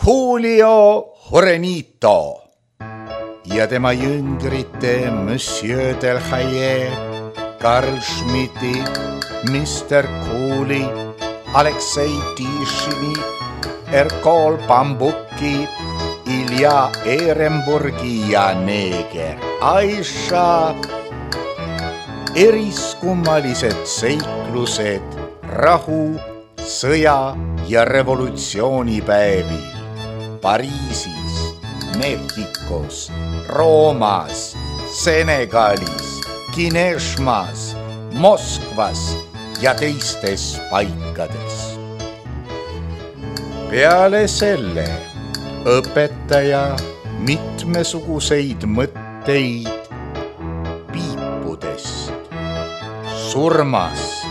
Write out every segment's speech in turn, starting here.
Julio Jurenito ja tema jüngrite Monsieur Delhaye, Karl Schmidti, Mr. Cooley, Aleksei Tišini, Erkol Bambuki, Ilja Ehrenburgi ja neeger Aisha. Eriskummalised seiklused rahu, sõja ja revolutsioonipäevil Pariisis, Mehhikos, Roomas, Senegalis, Kineshmas, Moskvas ja teistes paikades. Peale selle õpetaja mitmesuguseid mõtteid piipudest, surmast,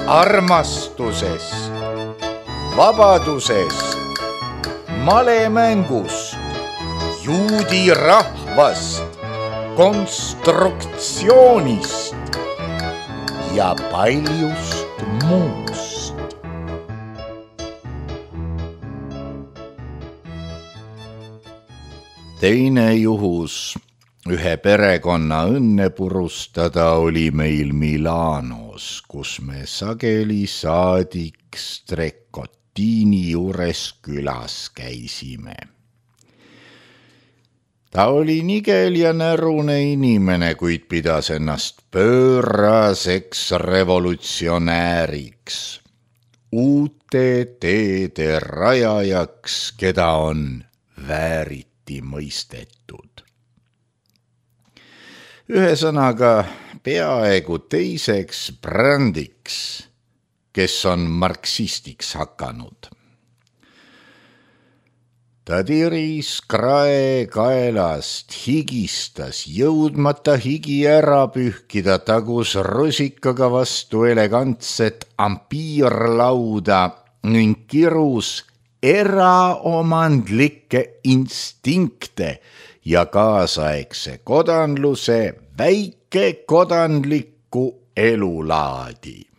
armastusest, vabadusest, malemängust, juudi rahvast, konstruktsioonist ja paljust muust. Teine juhus ühe perekonna õnne purustada oli meil Milanos, kus me sageli saadik Strecottini juures külas käisime. Ta oli nigel ja närune inimene, kuid pidas ennast pööraseks revolutsionääriks, uute teede rajajaks, keda on vääriti mõistetud. Ühesõnaga peaaegu teiseks brändiks, kes on marksistiks hakanud. Ta tiris krae kaelast, higistas, jõudmata higi ära pühkida, tagus rusikaga vastu elegantset ampiirlauda ning kirus eraomandlikke instinkte ja kaasaegse kodanluse väikekodanlikku elulaadi.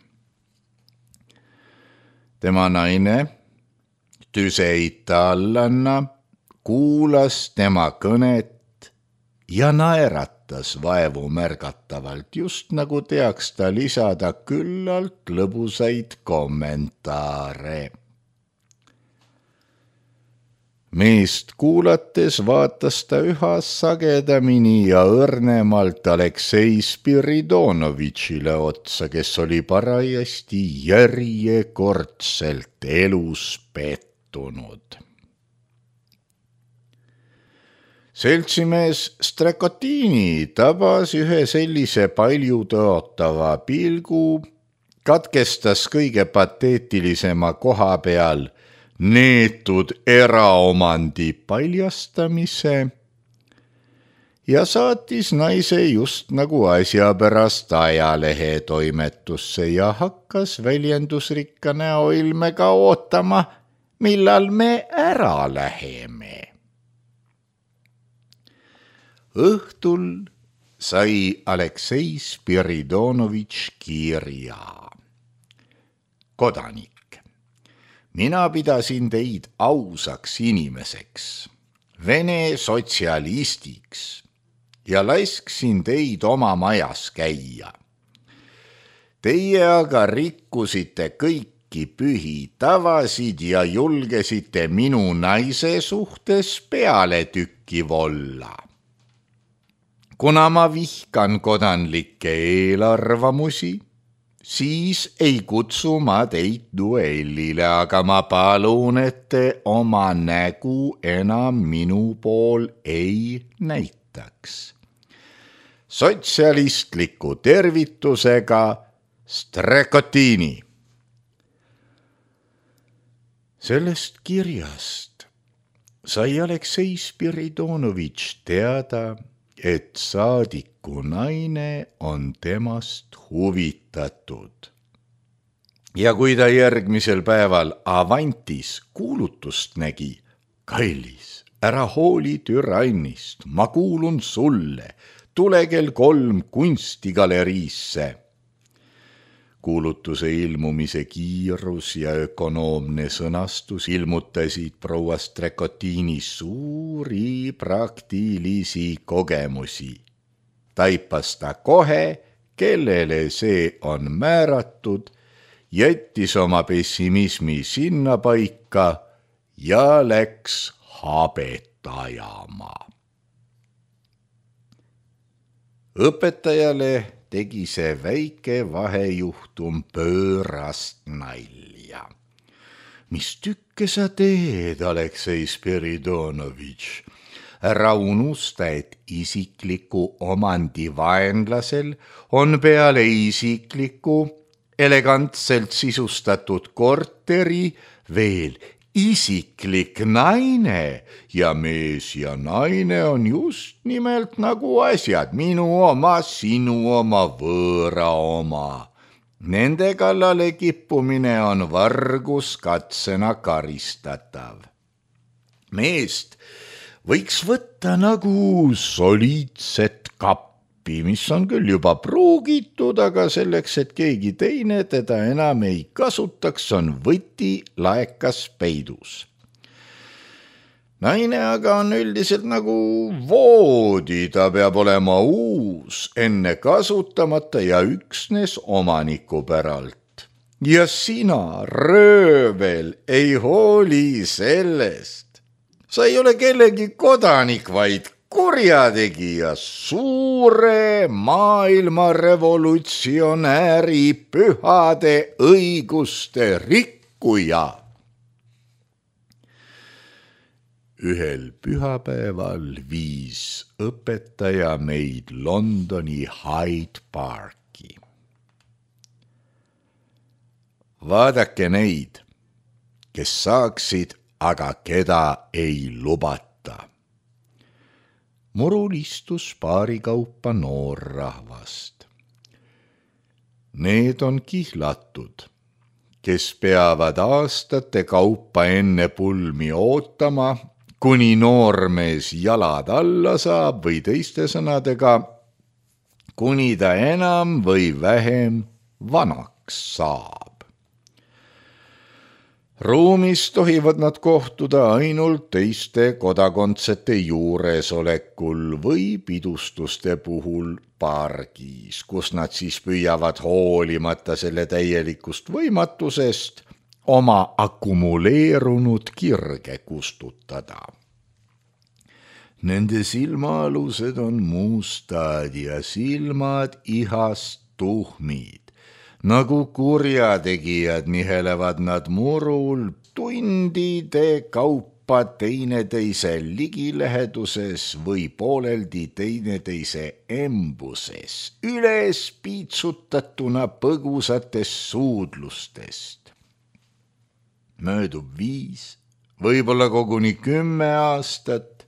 Tema naine, tüse itaallanna, kuulas tema kõnet ja naeratas vaevu märgatavalt, just nagu teaks ta lisada küllalt lõbusaid kommentaare. Meest kuulates vaatas ta üha sagedamini ja õrnemalt Aleksei Spiridonovitšile otsa, kes oli parajasti järjekordselt elus pettunud. Seltsimees Strecottini tabas ühe sellise palju tõotava pilgu, katkestas kõige pateetilisema koha peal neetud eraomandi paljastamise ja saatis naise just nagu asja pärast ajalehe toimetusse ja hakkas väljendusrikka näoilmega ootama, millal me ära läheme. Õhtul sai Aleksei Spiridonovitš kirja. Kodanik. Mina pidasin teid ausaks inimeseks, Vene sotsialistiks ja lasksin teid oma majas käia. Teie aga rikkusite kõiki pühi tavasid ja julgesite minu naise suhtes pealetükkiv olla. Kuna ma vihkan kodanlikke eelarvamusi, siis ei kutsu ma teid duellile, aga ma palun, et te oma nägu enam minu pool ei näitaks. Sotsialistliku tervitusega Strecottini. Sellest kirjast sai Aleksei Spiridonovitš teada, et saadiku naine on temast huvitatud. Ja kui ta järgmisel päeval Avantis kuulutust nägi, kallis, ära hooli türannist, ma kuulun sulle, tule kell 3 kunstigaleriisse. Kuulutuse ilmumise kiirus ja ökonoomne sõnastus ilmutasid proua Strekotini suuri praktilisi kogemusi. Taipas ta kohe, kellele see on määratud, jättis oma pessimismi sinna paika ja läks habet ajama. Õpetajale tegi see väike vahejuhtum pöörast nalja. Mis tükke sa teed, Aleksei Spiridonovitš? Ära unusta, et isikliku omandi vaenlasel on peale isikliku elegantselt sisustatud korteri veel isiklik naine ja mees ja naine on just nimelt nagu asjad, minu oma, sinu oma, võõra oma. Nende kallale kippumine on varguskatsena karistatav. Meest võiks võtta nagu soliidset kappi, mis on küll juba pruugitud, aga selleks, et keegi teine teda enam ei kasutaks, on võti laekas peidus. Naine aga on üldiselt nagu voodi, ta peab olema uus, enne kasutamata ja üksnes omaniku päralt. Ja sina, röövel, ei hooli sellest. Sa ei ole kellegi kodanik, vaid kurjategija, suure maailma revolutsionääri pühade õiguste rikkuja. Ühel pühapäeval viis õpetaja meid Londoni Hyde Parki. Vaadake neid, kes saaksid, aga keda ei lubata. Murul istus paari kaupa noorrahvast. Need on kihlatud, kes peavad aastate kaupa enne pulmi ootama, kuni noormees jalad alla saab või teiste sõnadega, kuni ta enam või vähem vanaks saab. Ruumis tohivad nad kohtuda ainult teiste kodakondsete juuresolekul või pidustuste puhul pargis, kus nad siis püüavad hoolimata selle täielikust võimatusest oma akumuleerunud kirge kustutada. Nende silmaalused on mustad ja silmad ihast tuhmid. Nagu kurjategijad nihelevad nad murul tundide kaupa teineteise ligiläheduses või pooleldi teineteise embuses, üles piitsutatuna põgusatest suudlustest. Möödub 5, võib-olla koguni 10 aastat,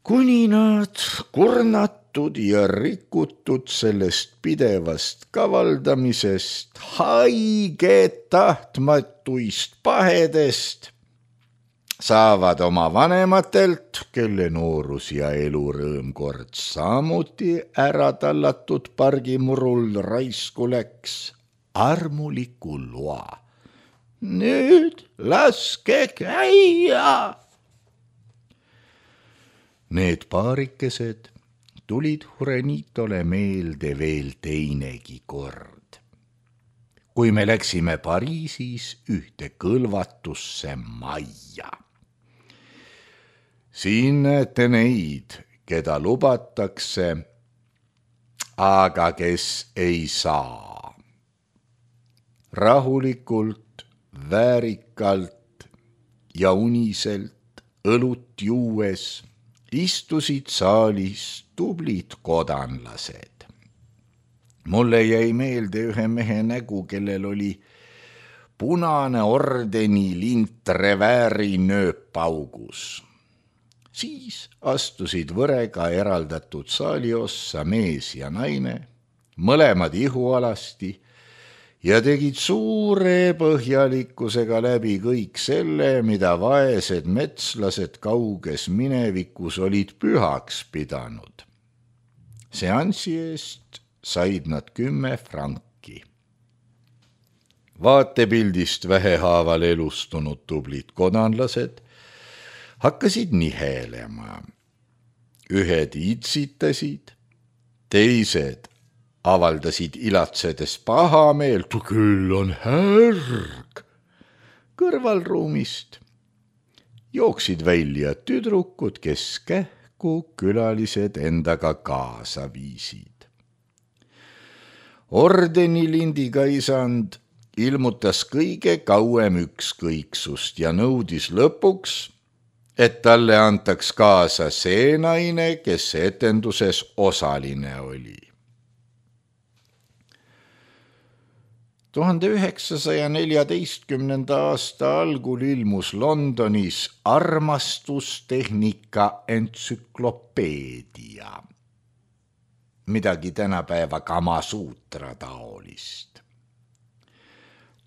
kuni nad kurnatud ja rikutud sellest pidevast kavaldamisest, haiged tahtmatuist pahedest, saavad oma vanematelt, kelle noorus ja elurõõm kord samuti ära tallatud pargimurul raisku läks, armuliku loa. Nüüd laske käia! Need paarikesed tulid Jurenitole meelde veel teinegi kord. Kui me läksime Pariisis ühte kõlvatusse majja. Siin näete neid, keda lubatakse, aga kes ei saa. Rahulikult, väärikalt ja uniselt õlut juues istusid saalis tublid kodanlased. Mulle jäi meelde ühe mehe nägu, kellel oli punane ordeni lint revääri nööpaugus. Siis astusid võrega eraldatud saaliossa mees ja naine, mõlemad ihualasti, ja tegid suure põhjalikkusega läbi kõik selle, mida vaesed metslased kauges minevikus olid pühaks pidanud. Seansi eest said nad 10 franki. Vaatepildist vähehaaval elustunud tublid kodanlased hakkasid nihelema. Ühed itsitasid, teised avaldasid ilatsedes pahameelt, küll on härg. Kõrvalruumist jooksid välja tüdrukud, kes kähku külalised endaga kaasa viisid. Ordeniliindiga isand ilmutas kõige kauem ükskõiksust ja nõudis lõpuks, et talle antaks kaasa see naine, kes etenduses osaline oli. 1914. aasta algul ilmus Londonis armastustehnika entsüklopeedia, midagi tänapäeva Kamasuutra taolist.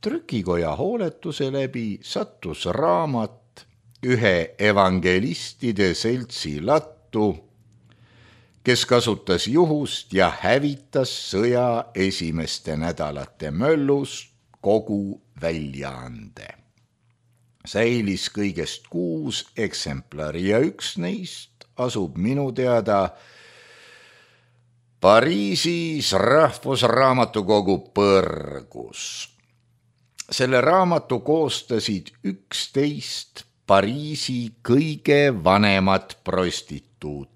Trükikoja hooletuse läbi sattus raamat ühe evangelistide seltsi lattu, kes kasutas juhust ja hävitas sõja esimeste nädalate möllus kogu väljaande. Säilis kõigest 6 eksemplari ja üks neist asub minu teada Pariisis Rahvusraamatukogu põrgus. Selle raamatu koostasid 11 Pariisi kõige vanemat prostituuti.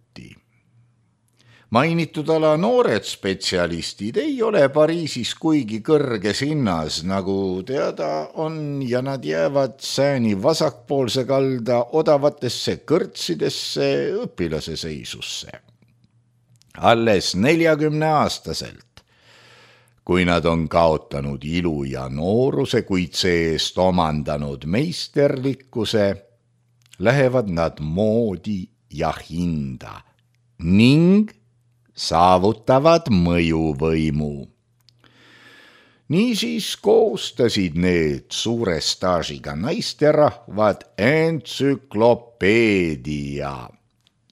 Mainitud ala noored spetsialistid ei ole Pariisis kuigi kõrges hinnas, nagu teada on, ja nad jäävad sääni vasakpoolse kalda odavatesse kõrtsidesse õpilase seisusse. Alles 40-aastaselt, kui nad on kaotanud ilu ja nooruse, kuid see-eest omandanud meisterlikkuse, lähevad nad moodi ja hinda ning saavutavad mõjuvõimu. Niisiis koostasid need suure staažiga naisterahvad entsüklopeedia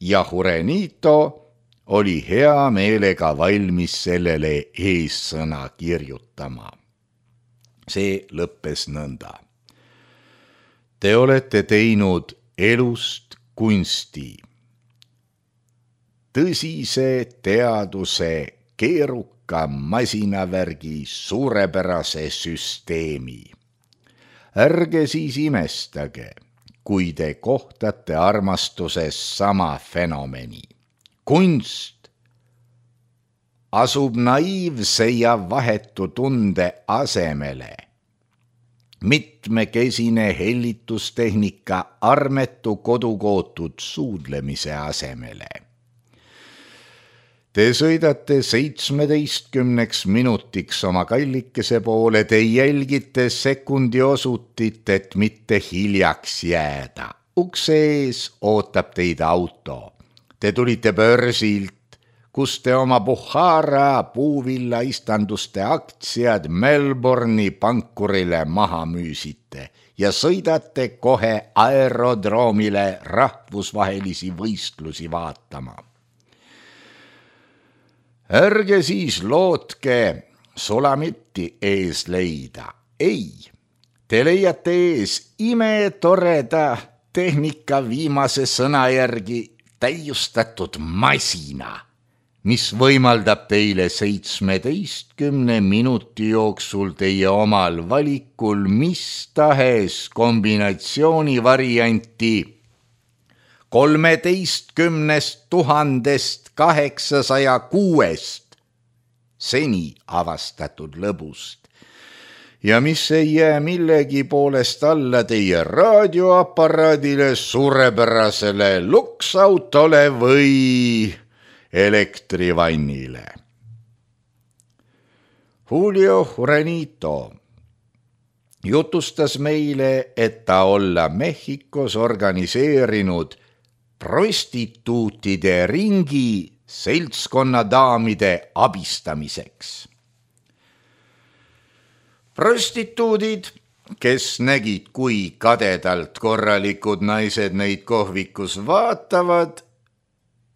ja Jurenito oli hea meelega valmis sellele eessõna kirjutama. See lõppes nõnda. Te olete teinud elust kunsti, tõsise teaduse keeruka masinavärgi suurepärase süsteemi. Ärge siis imestage, kui te kohtate armastuses sama fenomeni. Kunst asub naiivse ja vahetu tunde asemele. Mitmekesine hellitustehnika armetu kodukootud suudlemise asemele. Te sõidate 17 minutiks oma kallikese poole, te jälgite sekundi osutit, et mitte hiljaks jääda. Ukse ees ootab teid auto. Te tulite börsilt, kus te oma Buhara puuvilla istanduste aktsiad Melbourne'i pankurile maha müüsite ja sõidate kohe aerodroomile rahvusvahelisi võistlusi vaatama. Ärge siis lootke Sulamitti ees leida. Ei, te leiate ees imetoreda tehnika viimase sõna järgi täiustatud masina, mis võimaldab teile 17 minuti jooksul teie omal valikul mis tahes kombinatsiooni varianti 13 806 seni avastatud lõbust ja mis ei jää millegi poolest alla teie raadioaparaadile, suurepärasele luksautole või elektrivannile. Julio Jurenito jutustas meile, et ta olla Mehhikos organiseerinud prostituutide ringi seltskonnadaamide abistamiseks. Prostituudid, kes nägid, kui kadedalt korralikud naised neid kohvikus vaatavad,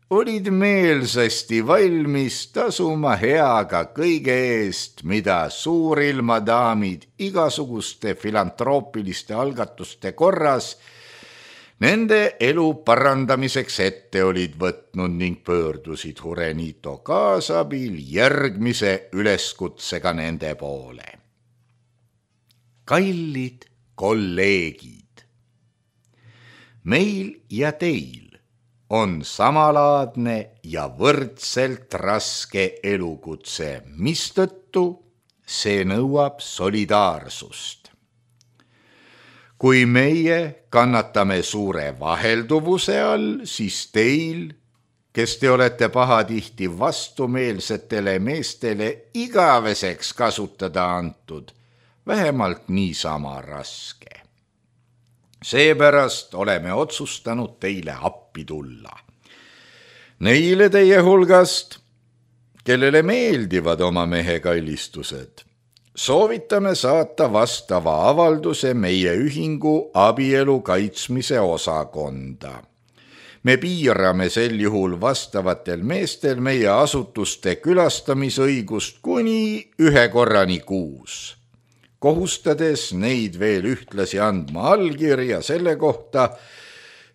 olid meelsasti valmis tasuma heaga kõige eest, mida suurilmadaamid igasuguste filantroopiliste algatuste korras nende elu parandamiseks ette olid võtnud ning pöördusid Jurenito kaasabil järgmise üleskutsega nende poole. Kallid kolleegid, meil ja teil on samalaadne ja võrdselt raske elukutse, mistõttu see nõuab solidaarsust. Kui meie kannatame suure vahelduvuse all, siis teil, kes te olete pahatihti vastumeelsetele meestele igaveseks kasutada antud, vähemalt niisama raske. Seepärast oleme otsustanud teile appi tulla. Neile teie hulgast, kellele meeldivad oma mehe kallistused, soovitame saata vastava avalduse meie ühingu abielu kaitsmise osakonda. Me piirame sel juhul vastavatel meestel meie asutuste külastamisõigust kuni 1 korrani kuus, kohustades neid veel ühtlasi andma allkirja selle kohta,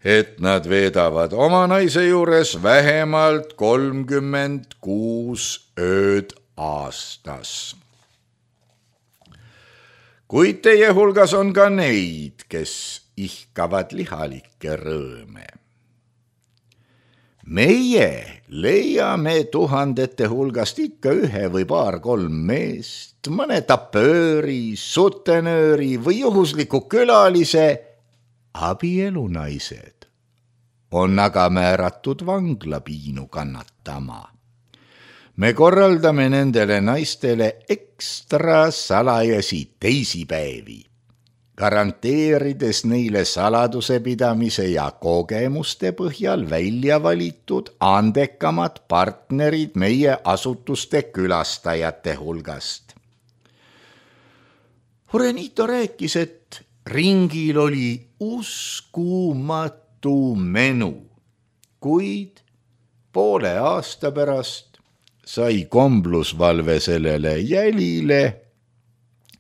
et nad veedavad oma naise juures vähemalt 36 ööd aastas. Kuid teie hulgas on ka neid, kes ihkavad lihalikke rõõme. Meie leiame tuhandete hulgast ikka 1 või 2-3 meest, mõne tapööri, sutenööri või juhusliku külalise. Abielunaised on aga määratud vanglapiinu kannatama. Me korraldame nendele naistele ekstra salajasi teisipäevi, garanteerides neile saladuse pidamise ja kogemuste põhjal välja valitud andekamad partnerid meie asutuste külastajate hulgast. Jurenito rääkis, et ringil oli uskumatu menu, kuid poole aasta pärast sai komblusvalve sellele jälile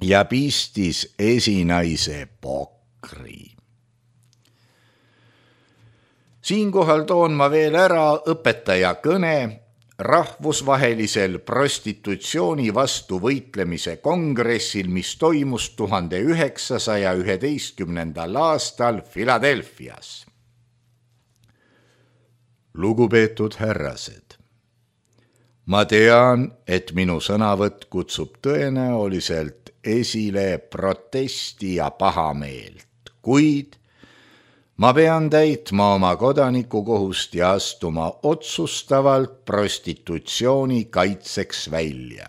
ja pistis esinaise pokri. Siinkohal toon ma veel ära õpetaja kõne rahvusvahelisel prostitutsiooni vastu võitlemise kongressil, mis toimus 1911. aastal Philadelphias. Lugupeetud härrased, ma tean, et minu sõnavõtt kutsub tõenäoliselt esile protesti ja pahameelt, kuid ma pean täitma oma kodanikukohust ja astuma otsustavalt prostitutsiooni kaitseks välja.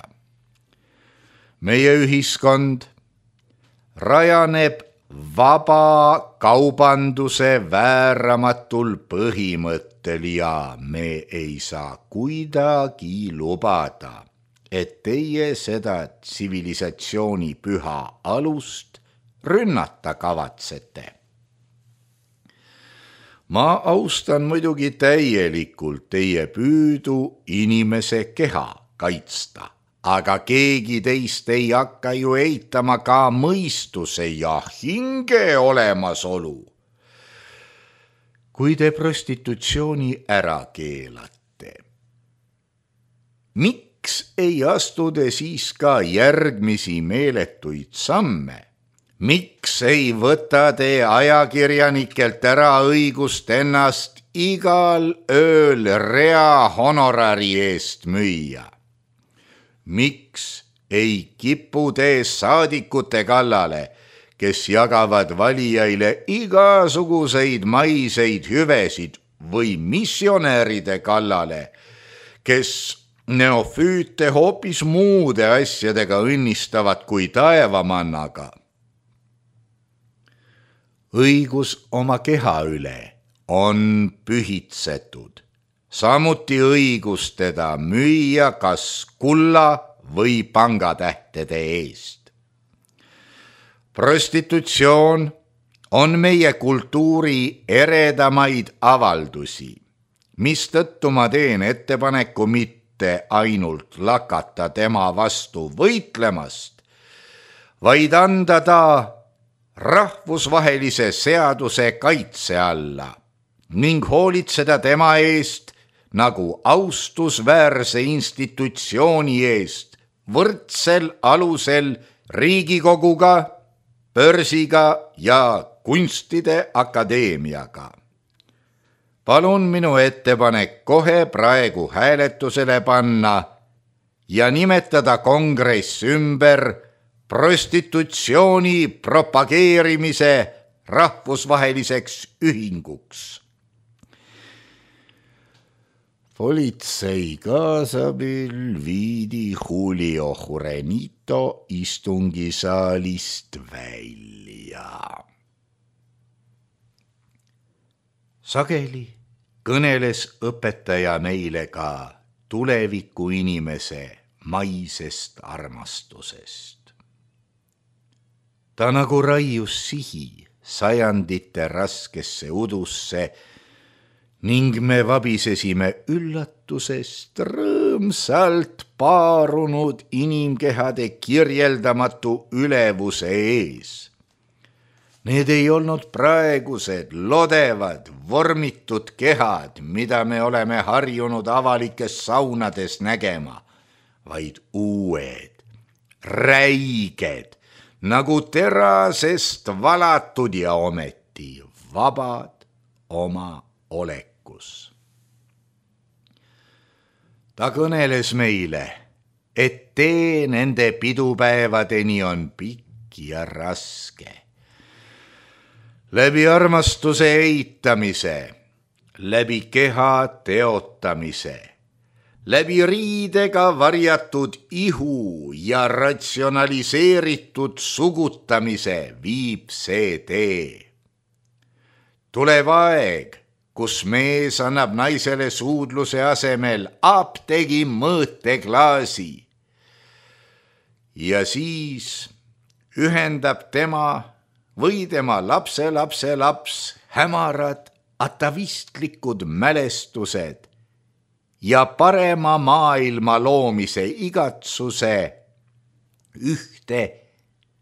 Meie ühiskond rajaneb vaba kaubanduse vääramatul põhimõttel ja me ei saa kuidagi lubada, et teie seda tsivilisatsiooni püha alust rünnata kavatsete. Ma austan muidugi täielikult teie püüdu inimese keha kaitsta, aga keegi teist ei hakka ju eitama ka mõistuse ja hinge olemasolu. Kui te prostitutsiooni ära keelate, miks ei astu te siis ka järgmisi meeletuid samme? Miks ei võta te ajakirjanikelt ära õigust ennast igal ööl rea honorari eest müüa? Miks ei kipu te saadikute kallale, kes jagavad valijaile igasuguseid maiseid hüvesid või missionääride kallale, kes neofüüte hoopis muude asjadega õnnistavad kui taevamannaga? Õigus oma keha üle on pühitsetud, samuti õigus teda müüa kas kulla või pangatähtede eest. Prostitutsioon on meie kultuuri eredamaid avaldusi, mistõttu ma teen ettepaneku mitte ainult lakata tema vastu võitlemast, vaid anda ta rahvusvahelise seaduse kaitse alla ning hoolitseda tema eest nagu austusväärse institutsiooni eest võrdsel alusel Riigikoguga, börsiga ja kunstide akadeemiaga. Palun minu ettepanek kohe praegu hääletusele panna ja nimetada kongress ümber prostitutsiooni propageerimise rahvusvaheliseks ühinguks. Politsei kaasabil viidi Julio Jurenito istungisaalist välja. Sageli kõneles õpetaja meile ka tuleviku inimese maisest armastusest. Ta nagu raius sihi sajandite raskesse udusse ning me vabisesime üllatusest rõõmsalt paarunud inimkehade kirjeldamatu ülevuse ees. Need ei olnud praegused lodevad, vormitud kehad, mida me oleme harjunud avalikes saunades nägema, vaid uued, räiged, nagu terasest valatud ja ometi vabad oma olekus. Ta kõneles meile, et tee nende pidupäevadeni on pikk ja raske. Läbi armastuse eitamise, läbi keha teotamise, läbi riidega varjatud ihu ja ratsionaliseeritud sugutamise viib see tee. Tuleb aeg, kus mees annab naisele suudluse asemel apteegi mõõteklaasi ja siis ühendab tema või tema lapselapse laps hämarad atavistlikud mälestused ja parema maailma loomise igatsuse ühte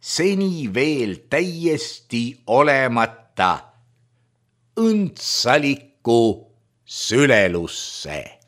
seni veel täiesti olemata õndsalikku sülelusse.